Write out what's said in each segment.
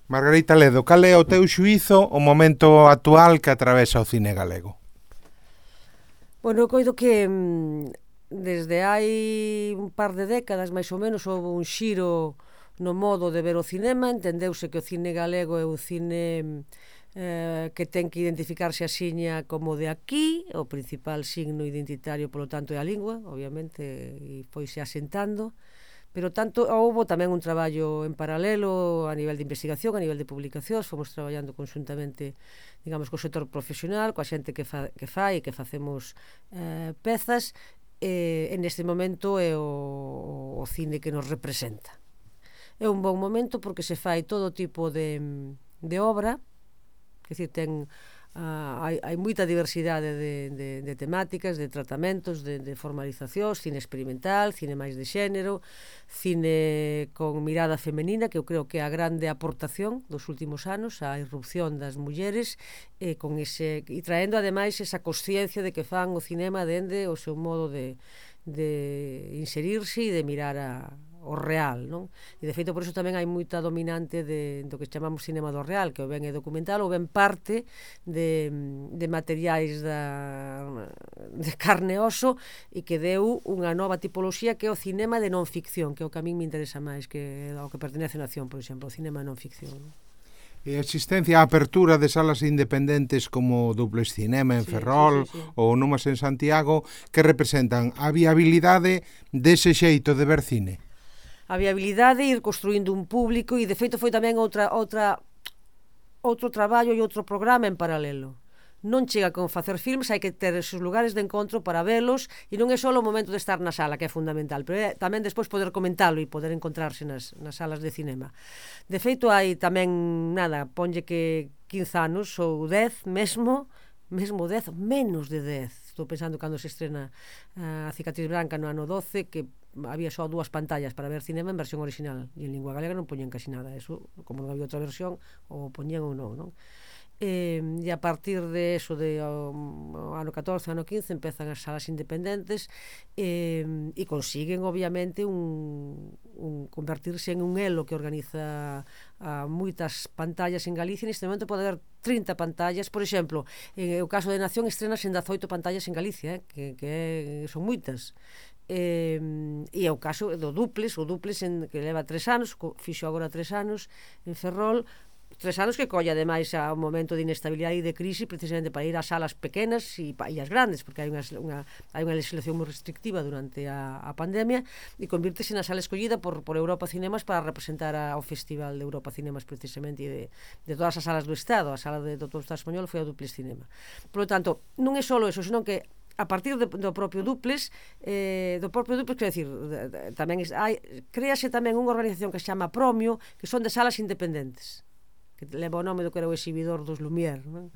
Margarita Ledo, cal é o teu xuízo o momento actual que atravesa o cine galego? Bueno, eu coido que desde hai un par de décadas, máis ou menos, houve un xiro no modo de ver o cinema. Entendeuse que o cine galego é un cine que ten que identificarse a xiña como de aquí. O principal signo identitario, polo tanto, é a lingua, obviamente, e foise asentando. Pero tanto houve tamén un traballo en paralelo a nivel de investigación, a nivel de publicacións. Fomos traballando conxuntamente, digamos, co sector profesional, coa xente que fai e que facemos pezas. En este momento é o cine que nos representa. É un bon momento porque se fai todo tipo de obra, quer dizer, hai moita diversidade de temáticas, de tratamentos, de formalizacións, cine experimental, cine máis de xénero, cine con mirada femenina, que eu creo que é a grande aportación dos últimos anos, a irrupción das mulleres, e traendo ademais esa consciencia de que fan o cinema dende o seu modo de inserirse e de mirar o real, non? E de feito por iso tamén hai moita dominante do que chamamos cinema do real, que ou ben é documental ou ben parte de materiais de carne e oso, e que deu unha nova tipoloxía que é o cinema de non ficción, que é o que a min me interesa máis, que é ao que pertenece a Nación, por exemplo, o cinema non ficción. E a existencia, a apertura de salas independentes como Duplex Cinema en Ferrol ou Numas en Santiago, que representan a viabilidade dese xeito de ver cine? A viabilidade, ir construindo un público, e de feito foi tamén outro traballo e outro programa en paralelo. Non chega con facer filmes, hai que ter esos lugares de encontro para velos, e non é só o momento de estar na sala, que é fundamental, pero é tamén despois poder comentalo e poder encontrarse nas salas de cinema. De feito, hai tamén, ponlle que 15 anos ou 10 mesmo 10, menos de 10. Estou pensando cando se estrena a Cicatriz Branca no ano 12, que había só 2 pantallas para ver cinema en versión original, e en lingua galega non poñían casi nada. Eso, como non había outra versión, ou poñían ou non? E a partir de eso, de ano 14, ano 15, empezan as salas independentes, e consiguen obviamente convertirse en un elo que organiza moitas pantallas en Galicia. Neste momento pode haber 30 pantallas, por exemplo, en o caso de Nación estrenas en 18 pantallas en Galicia, que son moitas. E é o caso do Duplex, que leva 3 anos, fixo agora 3 anos en Ferrol, 3 anos que colla ademais a un momento de inestabilidade e de crise, precisamente para ir ás salas pequenas e as grandes, porque hai unha legislación moi restrictiva durante a pandemia, e convírtese na sala escollida por Europa Cinemas para representar ao Festival de Europa Cinemas, precisamente, e de todas as salas do Estado. A sala do Estado español foi a Duplex Cinema. Por lo tanto, non é só eso, senón que a partir do propio Duplex, quer decir, tamén créase tamén unha organización que se chama Promio, que son de salas independentes, que leva o nome do que era o exhibidor dos Lumière, non?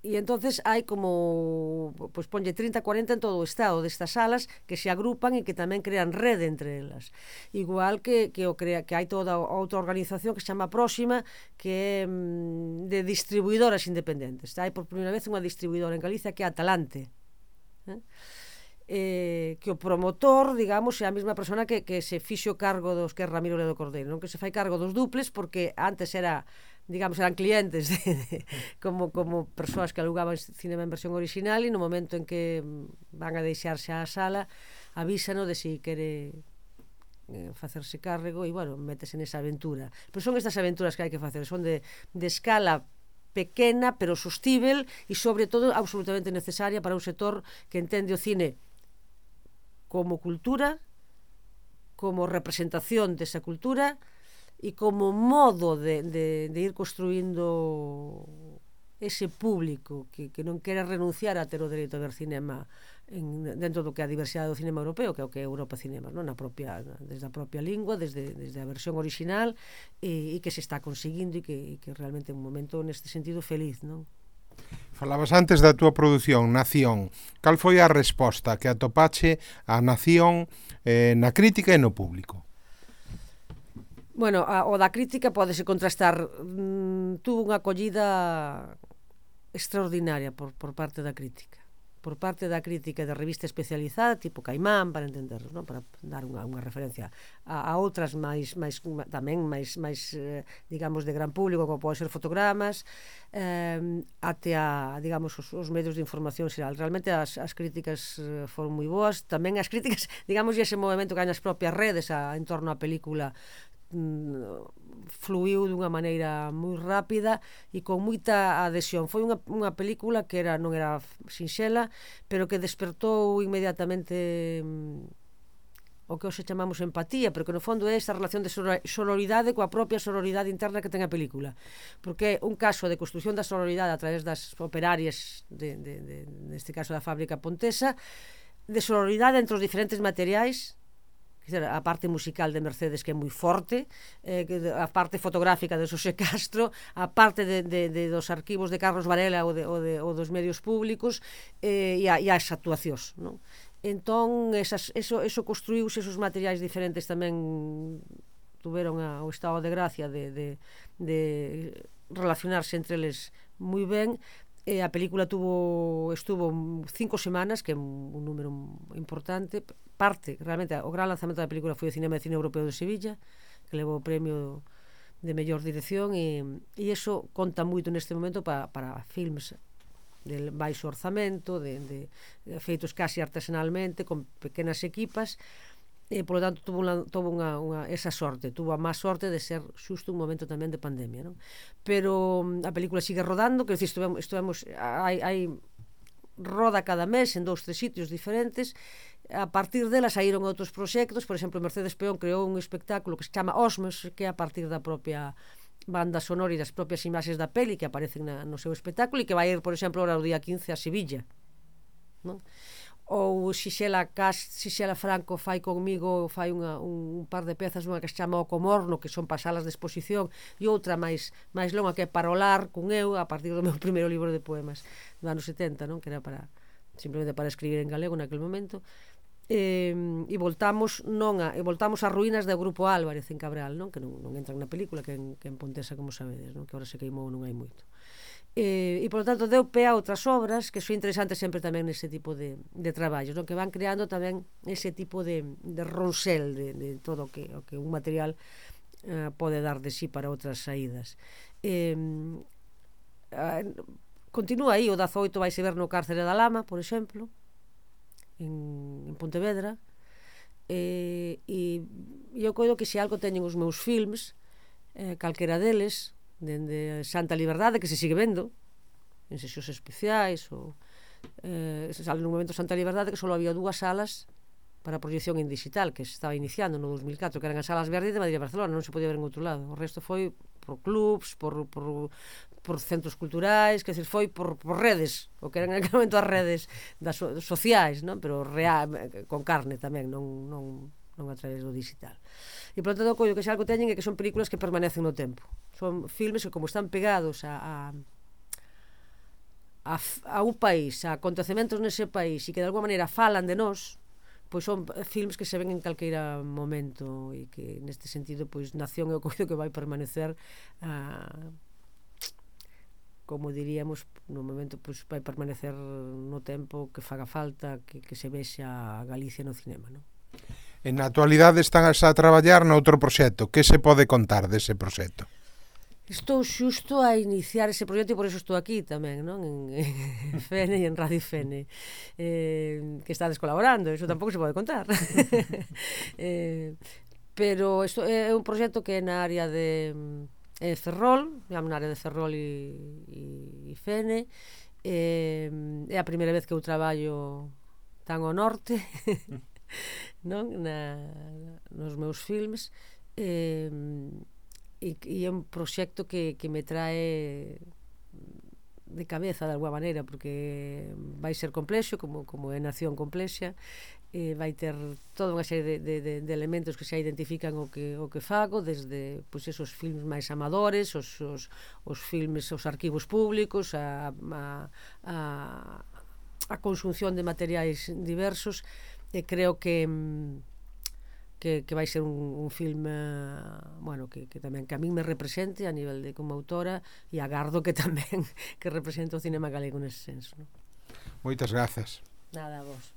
E entonces hai como, pois ponlle 30, 40 en todo o estado destas salas que se agrupan e que tamén crean rede entre elas. Igual que hai toda outra organización que se chama Próxima, que é de distribuidoras independentes. Hai por primeira vez unha distribuidora en Galicia que é Atalante, que o promotor, digamos, é a mesma persona que se fixo cargo dos, que é Ramiro Ledo Cordeiro, non? Que se fai cargo dos Duplex, porque antes eran clientes como persoas que alugaban cinema en versión original, e no momento en que van a deixarse a sala, avísanos de si quere facerse carrego, e, bueno, métese nesa aventura. Pero son estas aventuras que hai que facer, son de escala pequena, pero sostível, e, sobre todo, absolutamente necesaria para un sector que entende o cine como cultura, como representación desa cultura, e como modo de ir construindo ese público que non quere renunciar a ter o dereito a ver cinema dentro do que é a diversidade do cinema europeo, que é o que é Europa Cinemas, non? Desde a propia lingua, desde a versión original, e que se está conseguindo, e que realmente é un momento neste sentido feliz, non? Falabas antes da túa produción, Nación. Cal foi a resposta que atopache a Nación na crítica e no público? Bueno, o da crítica pódese contrastar. Tuvo unha acollida extraordinaria por parte da crítica, por parte da crítica da revista especializada, tipo Caimán, para entender, non? Para dar unha referencia a outras tamén máis digamos, de gran público, como pode ser Fotogramas, até digamos, os medios de información xeral. Realmente as críticas foron moi boas, tamén as críticas, digamos, e ese movimento que hai nas propias redes en torno á película fluiu dunha maneira moi rápida e con moita adhesión. Foi unha película que non era sinxela, pero que despertou inmediatamente o que hoxe chamamos empatía, pero que no fondo é esta relación de sororidade coa propia sororidade interna que ten a película, porque é un caso de construción da sororidade a través das operarias neste caso da fábrica Pontesa, de sororidade entre os diferentes materiais, a parte musical de Mercedes, que é moi forte, a parte fotográfica de Xosé Castro, a parte dos arquivos de Carlos Varela ou dos medios públicos, e as actuacións, non? Entón, eso construíuse, esos materiais diferentes tamén tuveron o estado de gracia de relacionarse entre eles moi ben. A película estuvo 5 semanas, que é un número importante. Realmente, o gran lanzamento da película foi o Cinema de Cine Europeo de Sevilla, que levou o premio de mellor dirección, e iso conta moito neste momento para filmes de baixo orzamento, de feitos casi artesanalmente, con pequenas equipas, e polo tanto tuvo esa sorte, tuvo a má sorte de ser xusto un momento tamén de pandemia, non? Pero a película sigue rodando, que hai roda cada mes en 2-3 sitios diferentes. A partir dela saíron outros proxectos, por exemplo, Mercedes Peón creou un espectáculo que se chama Osmos, que é a partir da propia banda sonora e das propias imaxes da peli que aparecen no seu espectáculo, e que vai ir, por exemplo, ahora o día 15 a Sevilla, non? Ou Xisela Franco fai un par de pezas, unha que se chama O Comorno, que son pasalas de exposición, e outra máis longa, que é Parolar con eu, a partir do meu primeiro libro de poemas do ano 70, non? Que era simplemente para escribir en galego naquele momento. E voltamos ás ruínas do Grupo Álvarez en Cabral, non? Que non entran na película, que en Pontesa, como sabedes, non? Que agora se queimou, non hai moito. E polo tanto deu pé a outras obras que son interesantes sempre tamén nese tipo de traballos, non? Que van creando tamén ese tipo de ronsel de todo o que un material pode dar de sí para outras saídas. Continúa aí, o 18 vaise ver no Cárcere da Lama, por exemplo, en Pontevedra, e eu coido que se algo teñen os meus films, calquera deles, dende Santa Liberdade, que se sigue vendo en sesións especiais, ou sale nun momento Santa Liberdade que só había 2 salas para proyección en digital, que se estaba iniciando no 2004, que eran as salas verdes de Madrid e Barcelona, non se podía ver en outro lado. O resto foi por clubs, por centros culturais, que foi por redes, o que eran en aquel momento as redes sociais, non? Pero con carne tamén, non a través do digital. E polo tanto, coido que se algo teñen é que son películas que permanecen no tempo. Son filmes que, como están pegados a un país, a acontecementos nese país, e que de alguma maneira falan de nós, pois son filmes que se ven en calqueira momento, e que neste sentido, pois Nación é o coido que vai permanecer como diríamos, no momento, pois vai permanecer no tempo que faga falta que se vexa a Galicia no cinema, non? En na actualidade están a traballar noutro proxecto. Que se pode contar dese proxecto? Estou xusto a iniciar ese proxecto e por eso estou aquí tamén, non? En Fene e en Radio Fene, que estades colaborando, eso tampouco se pode contar. Pero isto é un proxecto que é na área de Ferrol, digamos, na área de Ferrol e Fene. É a primeira vez que eu traballo tan ao norte, non? Nos meus filmes, e é un proxecto que me trae de cabeza de alguma maneira, porque vai ser complexo, como é Nación complexa, vai ter toda unha serie de elementos que se identifican o que fago, desde pois esos filmes máis amadores, os filmes, os arquivos públicos, a consunción de materiais diversos, e creo que vai ser un filme, bueno, que tamén que a min me represente a nivel de como autora, e agardo que tamén que represente o cinema galego nese senso, non? Moitas grazas. Nada, a vos.